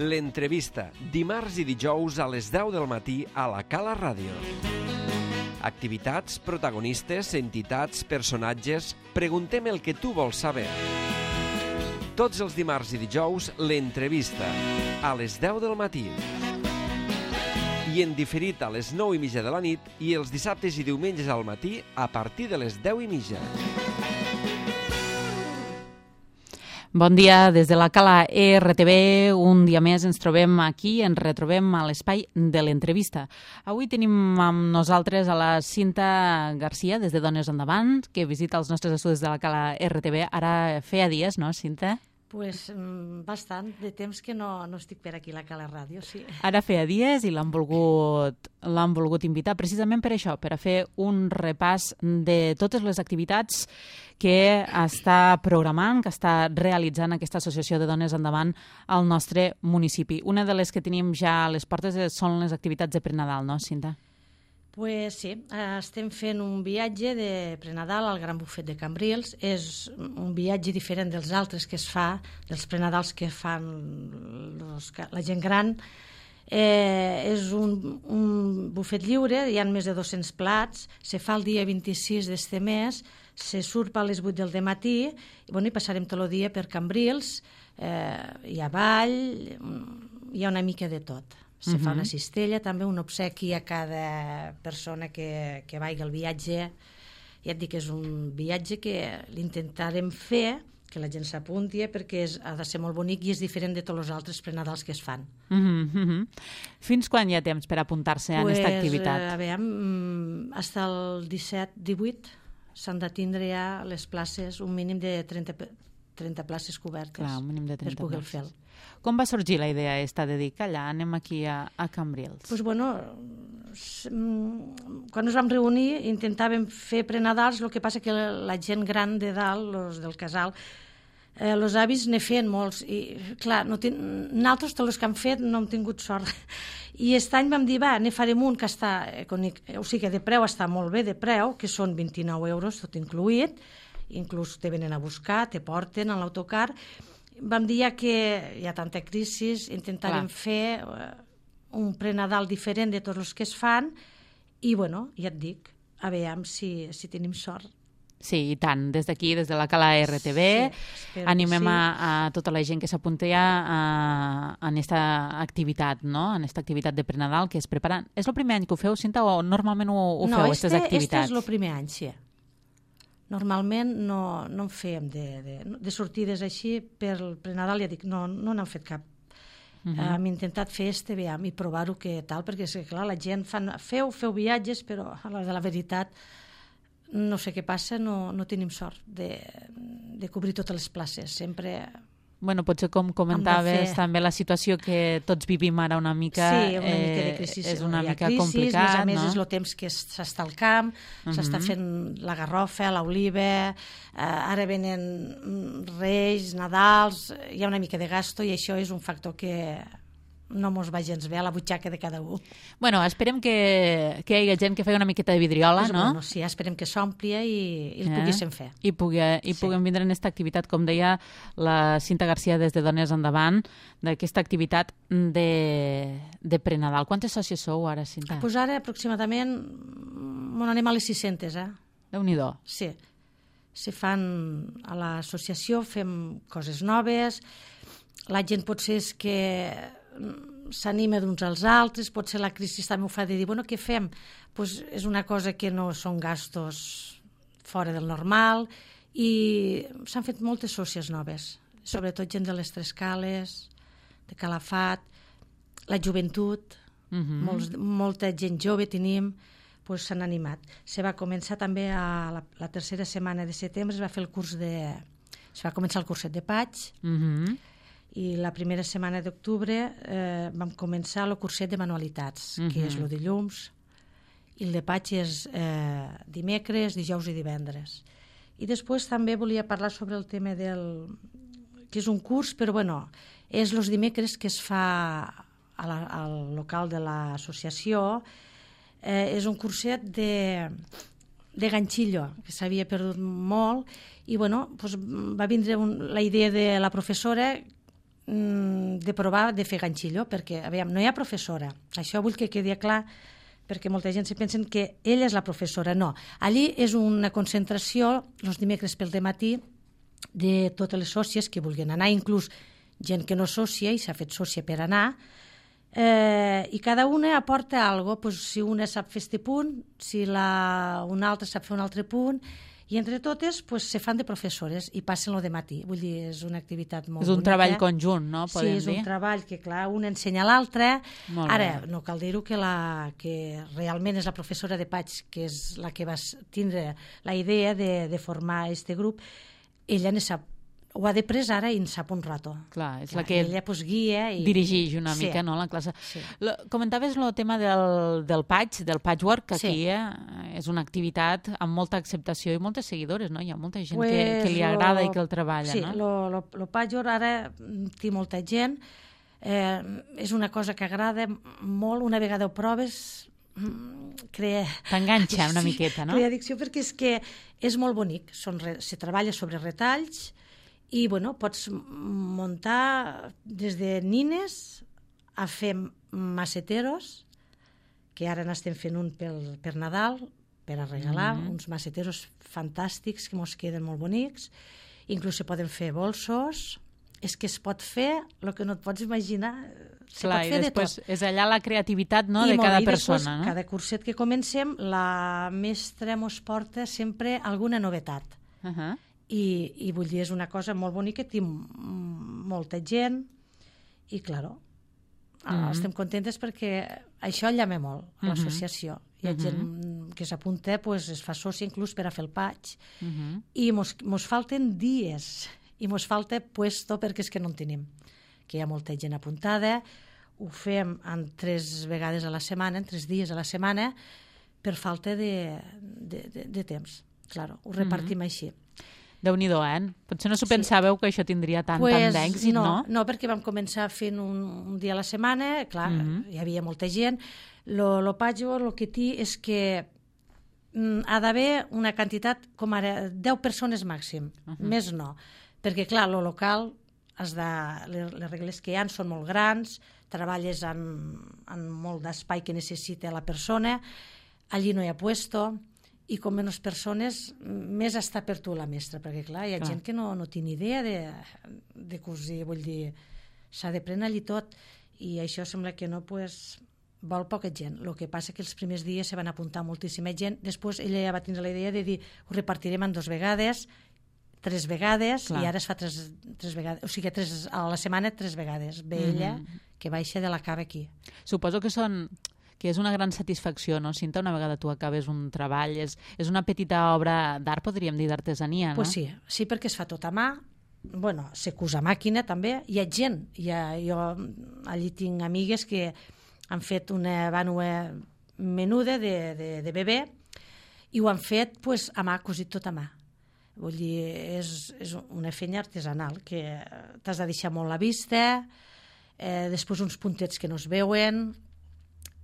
L'entrevista, dimarts i dijous a les 10 del matí a la Cala Ràdio. Activitats, protagonistes, entitats, personatges... Preguntem el que tu vols saber. Tots els dimarts i dijous, l'entrevista, a les 10 del matí. I en diferit a les 9:30 de la nit i els dissabtes i diumenges al matí a partir de les 10:30. Bon dia des de la Cala RTV. Un dia més ens trobem aquí, ens retrobem a l'espai de l'entrevista. Avui tenim amb nosaltres a la Cinta Garcia, des de Dones Endavant, que visita els nostres estudis de la Cala RTV. Ara feia dies, no, Cinta? Pues bastant de temps que no estic per aquí a la Cala Ràdio, sí. Ara feia dies i l'han volgut invitar precisament per això, per a fer un repàs de totes les activitats que està programant, que està realitzant aquesta associació de Dones Endavant al nostre municipi. Una de les que tenim ja a les portes són les activitats de Prenadal, no, Cinta? Pues sí, estem fent un viatge de Prenadal al Gran Bufet de Cambrils. És un viatge diferent dels altres que es fa, dels Prenadals que fan la gent gran. És un bufet lliure, hi ha més de 200 plats, se fa el dia 26 d'este mes, se surt a les 8 del dematí i passarem tot el dia per Cambrils, hi ha ball, hi ha una mica de tot. Se fa una cistella, també un obsequi a cada persona que vagi al viatge. Ja et dic que és un viatge que l'intentarem fer, que la gent s'apunti, perquè ha de ser molt bonic i és diferent de tots els altres prenadals que es fan. Fins quan hi ha temps per apuntar-se a aquesta activitat? A veure, fins el 17-18 s'han de tindre ja les places, un mínim de 30 places cobertes. Clar, un mínim de 30 per poder fer-ho. Com va sorgir la idea de dir que allà anem aquí a Cambrils? Doncs quan ens vam reunir intentàvem fer prenadals, el que passa que la gent gran de dalt, els del casal, els avis ne feien molts i clar, nosaltres tots els que han fet no hem tingut sort i aquest any vam dir, ne farem un que està o sigui que de preu està molt bé de preu, que són 29 euros tot incluït, inclús te venen a buscar, te porten a l'autocar. Vam dir que hi ha tanta crisi, intentarem fer un prenadal diferent de tots els que es fan i, ja et dic, a veure si tenim sort. Sí, i tant. Des d'aquí, des de la Cala RTV, animem a tota la gent que s'apunti en aquesta activitat, no? En aquesta activitat de prenadal que es prepara. És el primer any que ho feu, Cinta, o normalment ho feu, aquestes activitats? No, és el primer any, sí. Normalment no en fèiem de sortides així per el prenadal, ja dic, no n'hem fet cap. Hem intentat fer i provar-ho que tal, perquè clar, la gent feu viatges, però a l'hora de la veritat no sé què passa, no tenim sort de cobrir totes les places. Sempre... Potser com comentaves també la situació que tots vivim ara una mica... Sí, una mica de crisi. És una mica complicat, a més, és el temps que s'està al camp, s'està fent la garrofa, l'oliva, ara venen Reis, Nadals, hi ha una mica de gasto i això és un factor que no mos va gens bé a la butxaca de cada un. Esperem que hi hagi gent que faci una miqueta de vidriola, no? Sí, esperem que s'ompli i el poguéssim fer. I puguem vindre en aquesta activitat, com deia la Cinta Garcia des de Dones Endavant, d'aquesta activitat de prenadal. Quantes sòcies sou ara, Cinta? Doncs ara aproximadament anem a les 600, Déu-n'hi-do. Sí. Se fan a l'associació, fem coses noves, la gent potser és que s'anima d'uns als altres, potser la crisi també ho fa de dir, què fem? És una cosa que no són gastos fora del normal i s'han fet moltes sòcies noves, sobretot gent de les Tres Cales, de Calafat, la joventut, molta gent jove tenim, s'han animat. Se va començar també a la tercera setmana de setembre, se va començar el curset de Paig, i la primera setmana d'octubre vam començar el curset de manualitats, que és el dilluns, i el de Paig és dimecres, dijous i divendres. I després també volia parlar sobre el tema que és un curs, però és els dimecres que es fa al local de l'associació. És un curset de ganxillo, que s'havia perdut molt, i va vindre la idea de la professora de provar de fer ganxillo, perquè, aviam, no hi ha professora. Això vull que quedi clar, perquè molta gent se pensen que ella és la professora. No, allí és una concentració els dimecres pel dematí de totes les sòcies que vulguin anar, inclús gent que no és sòcia i s'ha fet sòcia per anar, i cada una aporta alguna cosa. Si una sap fer este punt, si una altra sap fer un altre punt, i entre totes se fan de professores i passen lo de matí. Vull dir, és una activitat molt bonica. És un treball conjunt, no? Sí, és un treball que, clar, un ensenya a l'altre. Ara, no cal dir-ho que realment és la professora de Paig, que és la que va tindre la idea de formar este grup, ella ne sap, ho ha després ara i en sap un rato. Clar, és la que ella guia i dirigeix una mica, no, la classe. Sí. Comentaves el tema del patchwork, que aquí és una activitat amb molta acceptació i moltes seguidores, no? Hi ha molta gent que li agrada i que el treballa, no? Sí, el patchwork ara té molta gent, és una cosa que agrada molt, una vegada ho proves, t'enganxa una miqueta, no? Crea addicció, perquè és que és molt bonic, se treballa sobre retalls i, bueno, pots muntar des de nines a fer maceteros, que ara n'estem fent un per Nadal, per a regalar, uns maceteros fantàstics que mos queden molt bonics, inclús se poden fer bolsos, és que es pot fer el que no et pots imaginar, se pot fer de tot. És allà la creativitat, no?, de cada persona. No? Cada curset que comencem, la mestra mos porta sempre alguna novetat. I vull dir, és una cosa molt bonica, té molta gent i, claro, estem contentes perquè això llama molt, l'associació. Hi ha gent que s'apunta, es fa sòcia inclús per a fer el patch, i mos falten dies, i mos falta puesto perquè és que no en tenim, que hi ha molta gent apuntada, ho fem en 3 vegades a la setmana, en 3 dies a la setmana, per falta de temps. Claro, ho repartim així. Déu-n'hi-do, Potser no s'ho pensàveu que això tindria tant d'èxit, no? No, perquè vam començar fent un dia a la setmana, clar, hi havia molta gent. Lo patchwork, el que té és que ha d'haver una quantitat, com ara, 10 persones màxim, més no. Perquè, clar, lo local, les regles que hi ha són molt grans, treballes en molt d'espai que necessita la persona, allí no hi ha puesto, i com menys persones, més està per tu la mestra, perquè clar, hi ha gent que no té ni idea de cosir, vull dir, s'ha de prendre allí tot, i això sembla que no, vol poca gent. El que passa que els primers dies se van apuntar moltíssima gent, després ella ja va tindre la idea de dir, ho repartirem en 2 vegades, 3 vegades, i ara es fa 3 vegades, o sigui, a la setmana 3 vegades, ve ella, que baixa de la cava aquí. Suposo que és una gran satisfacció, no, Cinta, una vegada tu acabes un treball, és una petita obra d'art, podríem dir, d'artesania, no? Pues sí, perquè es fa tot a mà, bueno, se cus a màquina també, hi ha gent, jo allí tinc amigues que han fet una vànua menuda de bebè i ho han fet a mà, cosit tot a mà. Vull dir, és una feina artesanal que t'has de deixar molt la vista, després uns puntets que no es veuen,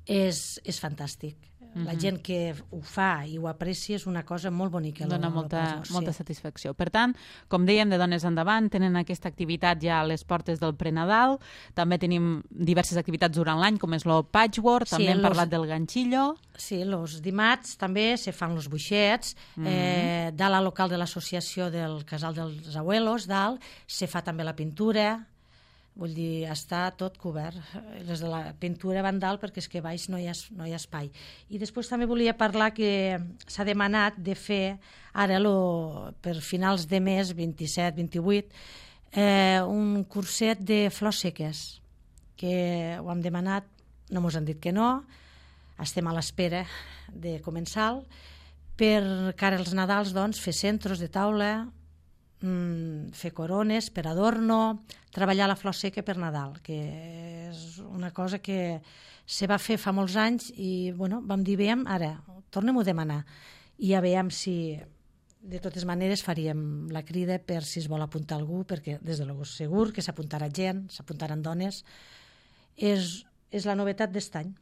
és fantàstic. La gent que ho fa i ho aprecia és una cosa molt bonica. Dona molta satisfacció. Per tant, com dèiem, de Dones Endavant tenen aquesta activitat ja a les portes del Prenadal, també tenim diverses activitats durant l'any, com és el patchwork, també hem parlat del ganxillo. Sí, els dimarts també se fan els buixets, dalt al local de l'associació del Casal dels Abuelos, dalt, se fa també la pintura. Vull dir, està tot cobert. Les de la pintura van dalt perquè és que baix no hi ha espai. I després també volia parlar que s'ha demanat de fer ara per finals de mes, 27-28, un curset de flors seques, que ho hem demanat, no mos han dit que no, estem a l'espera de començar-lo, per cara als Nadals, doncs, fer centros de taula, fer corones per adorno, treballar la flor seca per Nadal, que és una cosa que se va fer fa molts anys i bueno, vam dir, veiem, ara tornem-ho a demanar i ja veiem si de totes maneres faríem la crida per si es vol apuntar algú, perquè des de l'Agost segur que s'apuntarà gent, s'apuntaran dones. És la novetat d'est any.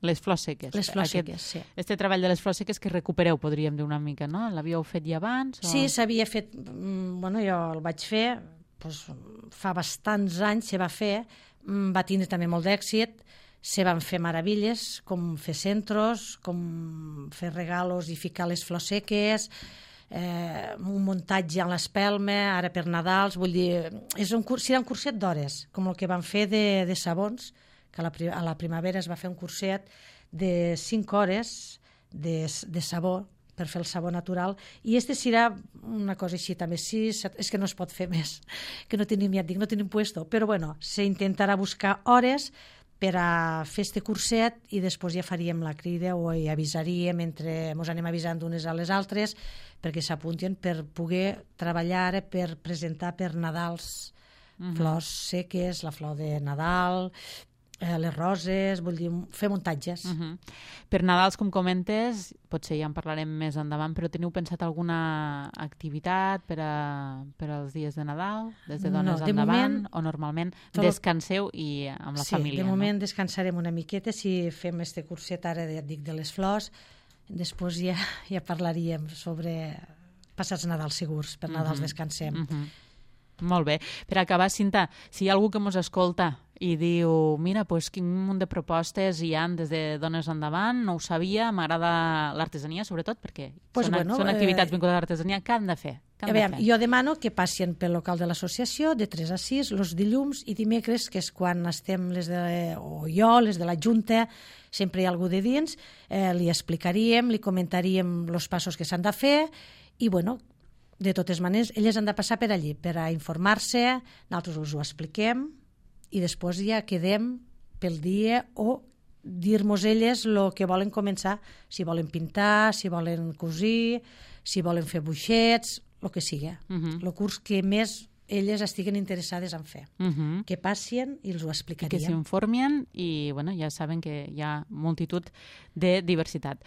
Les flors seques. Les flors seques, sí. Este treball de les flors seques que recupereu, podríem dir una mica, no? L'havíeu fet ja abans? Sí, s'havia fet, bueno, jo el vaig fer fa bastants anys se va fer, va tindre també molt d'èxit, se van fer meravilles, com fer centros, com fer regalos i ficar les flors seques, un muntatge en l'espelma, ara per Nadals, vull dir, serà un curset d'hores, com el que van fer de sabons, que a la primavera es va fer un curset de 5 hores de sabó, per fer el sabó natural, i serà una cosa així també. Sí, és que no es pot fer més, que no tenim, ja et dic, no tenim puesto, però bueno, s'intentarà buscar hores per a fer este curset i després ja faríem la crida o hi avisaríem, ens anem avisant unes a les altres perquè s'apuntin per poder treballar, per presentar per Nadals flors seques, la flor de Nadal, les roses, vull dir, fer muntatges. Per Nadals, com comentes, potser ja en parlarem més endavant, però teniu pensat alguna activitat per als dies de Nadal, des de dones endavant, o normalment descanseu i amb la família? Sí, de moment descansarem una miqueta, si fem este curset ara, ja et dic, de les flors, després ja parlaríem sobre passats Nadals segurs, per Nadals descansem. Molt bé. Per acabar, Cinta, si hi ha algú que ens escolta i diu, mira, quin munt de propostes hi ha des de Dones Endavant, no ho sabia, m'agrada l'artesania, sobretot, perquè són activitats vinculades a l'artesania, què han de fer? Jo demano que passin pel local de l'associació de 3 a 6, els dilluns i dimecres, que és quan estem les de la Junta, sempre hi ha algú de dins, li explicaríem, li comentaríem els passos que s'han de fer i, bueno, de totes maneres, elles han de passar per allí per a informar-se, nosaltres us ho expliquem i després ja quedem pel dia o dir-nos elles el que volen començar, si volen pintar, si volen cosir, si volen fer buixets, el que sigui. El curs que més elles estiguen interessades en fer. Que passin i els ho explicaríem. Que s'informien i ja saben que hi ha multitud de diversitat.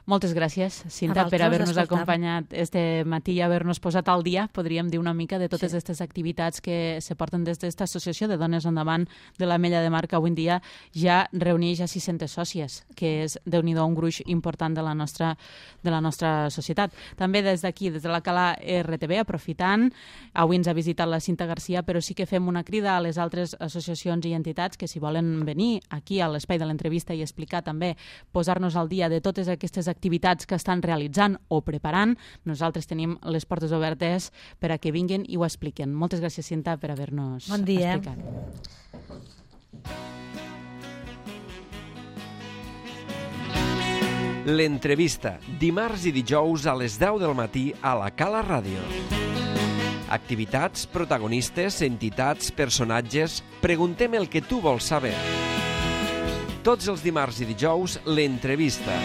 Moltes gràcies, Cinta, per haver-nos acompanyat este matí i haver-nos posat al dia, podríem dir una mica, de totes aquestes activitats que se porten des d'esta associació de Dones Endavant de l'Ametlla de Mar, que avui en dia ja reuneix a 600 sòcies, que és, Déu-n'hi-do, un gruix important de la nostra societat. També des d'aquí, des de la Cala RTV, aprofitant, avui ens ha visitat la Cinta Garcia, però sí que fem una crida a les altres associacions i entitats que si volen venir aquí a l'espai de l'entrevista i explicar també, posar-nos al dia de totes aquestes activitats que estan realitzant o preparant, nosaltres tenim les portes obertes per a que vinguin i ho expliquen. Moltes gràcies, Cinta, per haver-nos explicat. L'entrevista, dimarts i dijous a les 10 del matí a la Cala Ràdio. Activitats, protagonistes, entitats, personatges... Preguntem el que tu vols saber. Tots els dimarts i dijous, l'entrevista,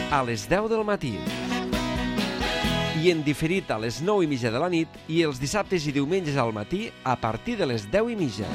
a les 10 del matí. I en diferit a les 9:30 de la nit i els dissabtes i diumenges al matí a partir de les 10:30.